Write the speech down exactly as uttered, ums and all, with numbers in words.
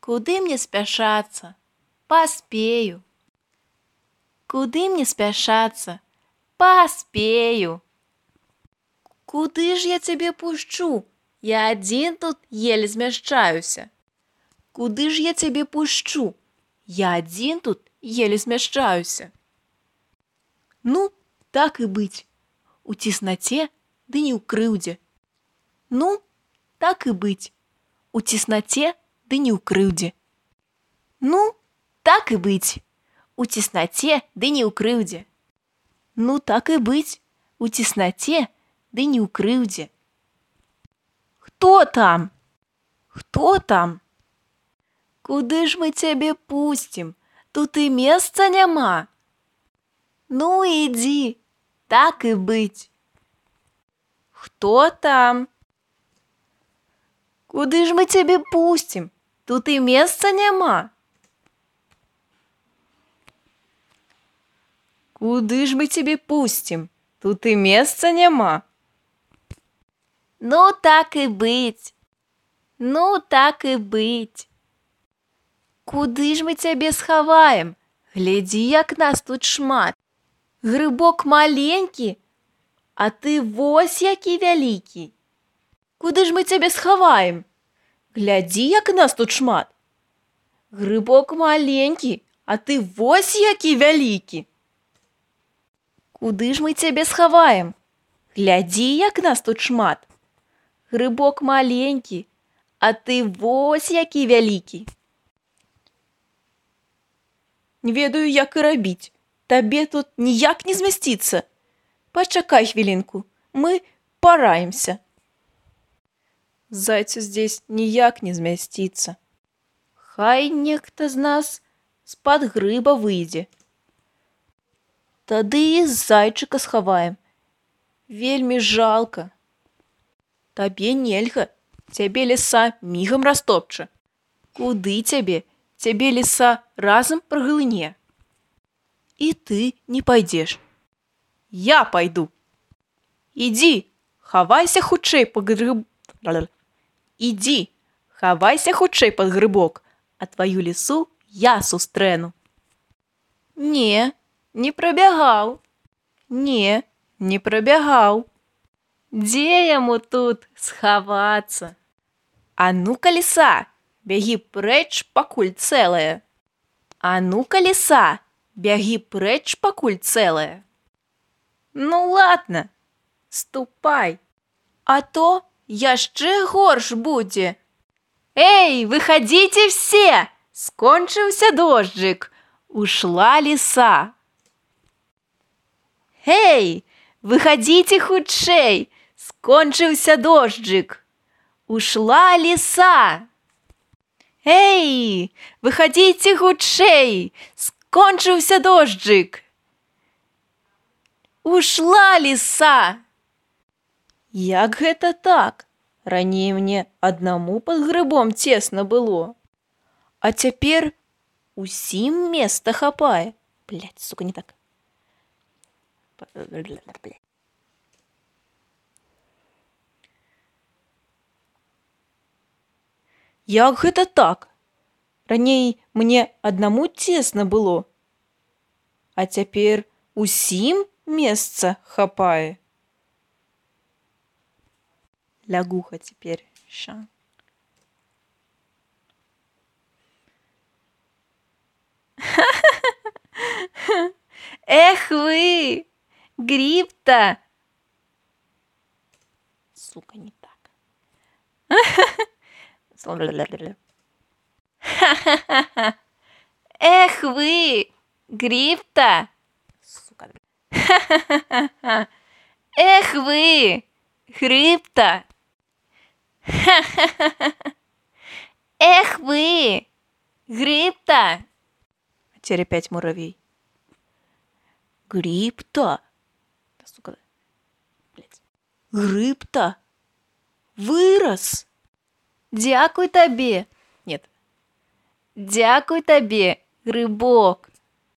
Куды мне спяшацца? Паспею. Куды мне спяшацца? Паспею. Куды ж я цябе пушчу? Я адзін тут еле змяшчаюся. Куды ж я цябе пушчу? Я адзін тут еле змяшчаюся. Ну, так і быць. У цеснаце, ды не ў крыўдзе. Ну, так і быць. У цеснаце, ды не ў крыўдзе. Ну, так і быць. У цеснаце, ды не ў крыўдзе. Ну, так і быць. У цеснаце, ды не ў крыўдзе. Хто там? Хто там? Куды ж мы цябе пусцім? Тут і месца няма. Ну, ідзі, так і быць. Хто там? Куды ж мы цябе пусцім? Тут і месца няма. Куды ж мы цябе пусцім? Тут і месца няма. Ну, так і быць. Ну, так і быць. Куды ж мы цябе схаваем? Глядзі, як нас тут шмат. Грыбок маленькі, а ты вось які вялікі. Куды ж мы цябе схаваем? Глядзі, як нас тут шмат. Грыбок маленькі, а ты вось які вялікі. Куды ж мы цябе схаваем? Глядзі, як нас тут шмат. Грыбок маленькі, а ты вось які вялікі. Не ведаю, як і рабіць. Табе тут ніяк не змясціцца. Пачакай хвілінку, мы параімся. Зайцу здесь ніяк не змясціцца. Хай нехта з нас з-пад грыба выйдзе. Тады і зайчыка схаваем. Вельмі жалка. Табе нельга, цябе ліса мігам растопча. Куды цябе? Цябе ліса разам праглыне. І ты не пайдзеш. Я пайду. Ідзі, хавайся хутчэй пад грыб... Ідзі, хавайся хутчэй пад грыбок, а тваю лісу я сустрэну. Не, не прабягаў. Не, не прабягаў. Дзе яму тут схавацца? А ну-ка, ліса, бягі прэч, пакуль цэлая. А ну-ка, ліса, бягі прэч, пакуль цэлая. Ну, ладно, ступай, а то яшчэ горш будзе. Эй, выходите все! Скончыўся дожджик. Ушла лиса. Эй, выходите хутчэй! Скончыўся дожджик. Ушла лиса. Эй, выходите хутчэй! Скончыўся дожджик. Ушла лиса. Як гэта так? Раней мне аднаму пад грыбом цесна было. А цяпер усім места хапае. Блядь, сука, не так. Як гэта так? Раней мне аднаму цесна было. А цяпер усім месца хапае. Лягуха теперь. Ща. Эх вы, гриб-то. Сука, не так. Эх вы, гриб-то. Сука. Эх вы, гриб-то. Эх вы, гриб-то. А теперь опять муравей. Гриб-то. Да, сука. Блядь. Гриб-то вырос. Дякуй табе. Нет. Дякуй табе, грибок.